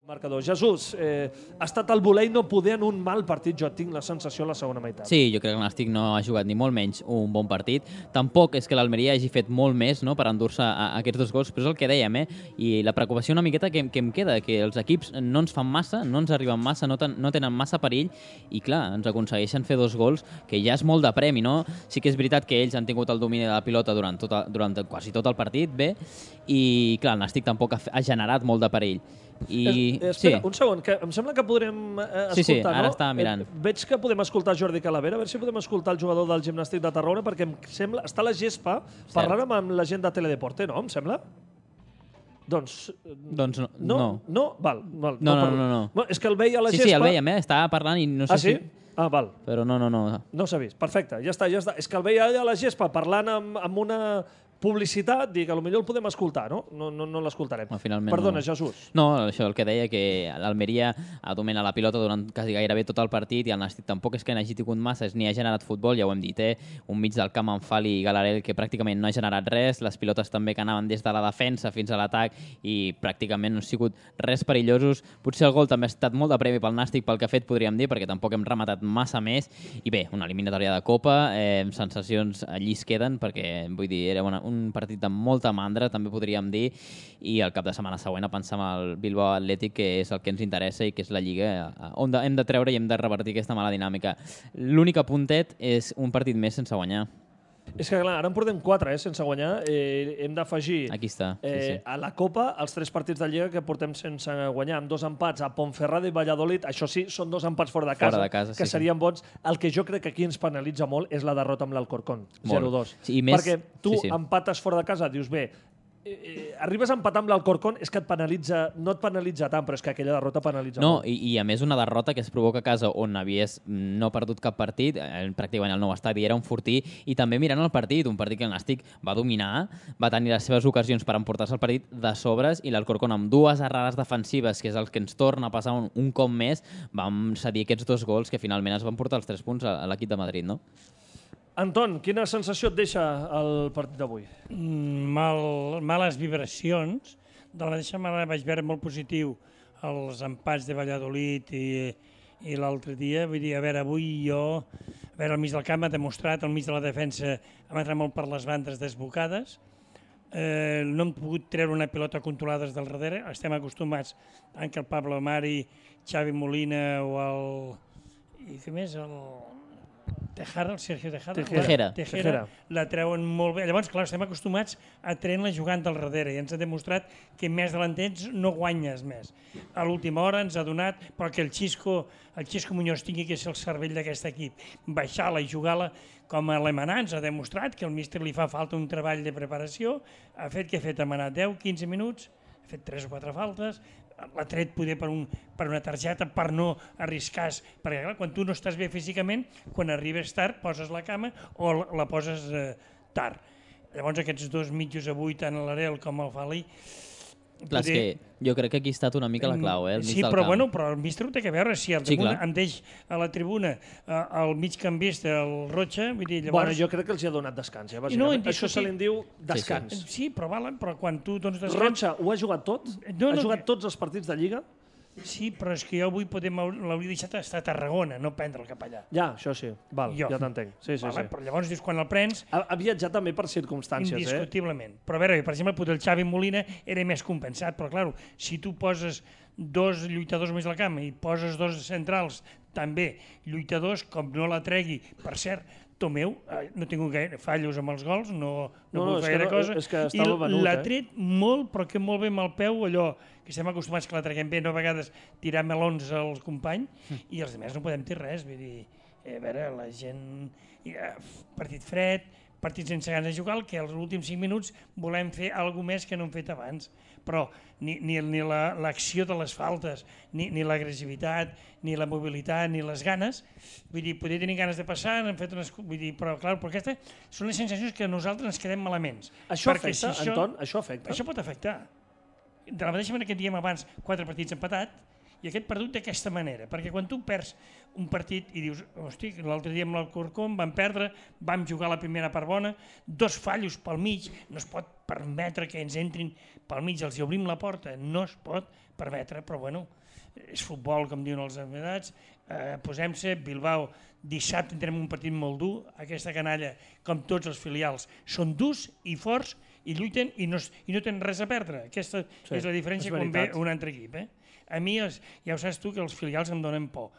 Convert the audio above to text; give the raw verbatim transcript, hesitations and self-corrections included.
Marcador. Jesús, eh, ha estat el voler i no poder en un mal partit, jo tinc la sensació a la segona meitat. Sí, jo crec que el Nàstic no ha jugat ni molt menys un bon partit. Tampoc és que l'Almeria hagi fet molt més, no?, per endur-se aquests dos gols, però és el que dèiem, eh? I la preocupació una miqueta que, que em queda, que els equips no ens fan massa, no ens arriben massa, no, ten, no tenen massa perill, i clar, ens aconsegueixen fer dos gols, que ja és molt de premi, no? Sí que és veritat que ells han tingut el domini de la pilota durant, tot, durant quasi tot el partit, bé, i clar, el Nàstic tampoc ha, ha generat molt de perill. I... Es, espera, sí. un segon, que em sembla que podrem eh, escoltar, sí, sí, ara no? estava mirant. Eh, veig que podem escoltar Jordi Calavera, a veure si podem escoltar el jugador del Gimnàstic de Tarragona, perquè em sembla, està a la gespa parlant amb la gent de Teledeporte, no? Em sembla? Doncs... Doncs no. No? No, no? Val, val, no, no, no, no, no. Bueno, és que el veia a la sí, gespa... Sí, sí, el veiem, eh? Estava parlant i no sé ah, sí? si... Ah, val. Però no, no, no. No s'ha vist. Perfecte, ja està, ja està. És que el veia allà a la gespa parlant amb, amb una publicitat, dic, potser el podem escoltar, no? No, no, no l'escoltarem. No, finalment Perdona, no. Jesús. No, això el que deia, que l'Almeria domina la pilota durant quasi gairebé tot el partit i el Nàstic tampoc és que n'hagi tingut masses ni ha generat futbol, ja ho hem dit, eh? Un mig del camp amb Fali i Galarel que pràcticament no ha generat res, les pilotes també que anaven des de la defensa fins a l'atac i pràcticament no han sigut res perillosos. Potser el gol també ha estat molt de premi pel Nàstic pel que ha fet, podríem dir, perquè tampoc hem rematat massa més. I bé, una eliminatòria de Copa, eh, sensacions allí es queden, perquè vull dir, era una, un partit de molta mandra, també podríem dir, i el cap de setmana següent a pensar en el Bilbao Atlètic, que és el que ens interessa i que és la Lliga on de, hem de treure i hem de revertir aquesta mala dinàmica. L'únic apuntet és un partit més sense guanyar. És que, clar, ara en portem quatre, eh, sense guanyar. Eh, hem d'afegir eh, sí, sí. a la Copa els tres partits de Lliga que portem sense guanyar, amb dos empats a Ponferrada i Valladolid. Això sí, són dos empats fora de casa, fora de casa que sí, serien sí. bons. El que jo crec que aquí ens penalitza molt és la derrota amb l'Alcorcón, zero dos. Sí, més... Perquè tu sí, sí. empates fora de casa, dius, bé, Eh, arribes a empatar amb l'Alcorcón, és que et penalitza, no et penalitza tant, però és que aquella derrota penalitza no, molt. I, i a més una derrota que es provoca a casa on havies no perdut cap partit, eh, pràcticament el nou estadi era un fortí, i també mirant el partit, un partit que el Nàstic va dominar, va tenir les seves ocasions per emportar-se el partit de sobres, i l'Alcorcón amb dues errades defensives, que és el que ens torna a passar un, un cop més, vam cedir aquests dos gols que finalment es van portar els tres punts a, a l'equip de Madrid, no? Anton, quina sensació et deixa el partit d'avui? Mal, males vibracions. De la mateixa manera vaig veure molt positiu els empats de Valladolid i, i l'altre dia. Vull dir, a veure, avui jo, a veure, al mig del camp ha demostrat, al mig de la defensa ha entrat molt per les bandes desbocades. Eh, no hem pogut treure una pilota controlada des del darrere. Estem acostumats a que el Pablo Mari, Xavi Molina o el... i què més? El... Tejera, el Sergio Tejera, Tejera. La, Tejera, la treuen molt bé. Llavors, clar, estem acostumats a treure-la jugant del darrere i ens ha demostrat que més delantens no guanyes més. A l'última hora ens ha donat, però que el Xisco, el Xisco Muñoz tingui que ser el cervell d'aquest equip, baixar-la i jugar-la com a l'Emanà, ens ha demostrat que el míster li fa falta un treball de preparació, ha fet que ha fet Emanà deu quinze minuts, ha fet tres o quatre faltes, l'ha tret poder per, un, per una targeta per no arriscar, perquè clar, quan tu no estàs bé físicament, quan arribes tard poses la cama o la, la poses eh, tard. Llavors aquests dos mitjos avui, tant l'Arel com el Fali... Clar, poder... és que jo crec que aquí ha estat una mica la clau, eh? El mig sí, del però, camp. bueno, però el míster ho té que veure. Si el sí, em deix a la tribuna eh, el migcampista, el Rocha, vull dir, llavors... Bueno, jo crec que els ha donat descans, eh, bàsicament. No, Això se li diu descans. Sí, sí. sí però, valen, però quan tu dones descans... Rocha ho ha jugat tot? No, ha no, jugat que... tots els partits de Lliga? Sí, però és que jo avui podem l'hauria deixat estar a Tarragona, no prendre'l cap allà. Ja, això sí, val, jo. ja t'entenc. Sí, sí, vale, sí. Però llavors dius, quan el prens... Ha, ha viatjat també per circumstàncies, indiscutiblement. eh? Però a veure, per exemple, el Xavi Molina era més compensat, però clar, si tu poses dos lluitadors més al camp i poses dos centrals també lluitadors, com no la tregui, per cert, Tomeu, eh, no he tingut gaire fallos amb els gols, no, no, no, no és gaire que no, cosa, és que i venut, l'ha eh? tret molt, però que molt bé amb el peu, allò que estem acostumats que la treguem bé, no a vegades tirar melons al company, mm. i els altres no podem dir res, vull dir, eh, a veure, la gent, eh, partit fred, partit sense ganes de jugar, que als últims cinc minuts volem fer alguna més que no hem fet abans, però ni, ni, ni l'acció la, de les faltes, ni, ni l'agressivitat, ni la mobilitat, ni les ganes, vull dir, poder tenir ganes de passar, hem fet unes, vull dir, però clar, però aquestes són les sensacions que nosaltres ens quedem malaments. Això afecta, si això, Anton? Això afecta? Això pot afectar. De la mateixa manera que diem abans, quatre partits empatat, i aquest perdut d'aquesta manera, perquè quan tu perds un partit i dius, hosti, l'altre dia amb l'Alcorcón vam perdre, vam jugar la primera part bona, dos fallos pel mig, no es pot permetre que ens entrin pel mig, els hi obrim la porta, no es pot permetre, però bueno, és futbol, com diuen els amagats, eh, posem-se, Bilbao, dissabte tindrem un partit molt dur, aquesta canalla, com tots els filials, són durs i forts i lluiten i no, i no tenen res a perdre. Aquesta sí, és la diferència és quan ve un altre equip. Eh? A mi, els, ja ho saps tu, que els filials em donen por.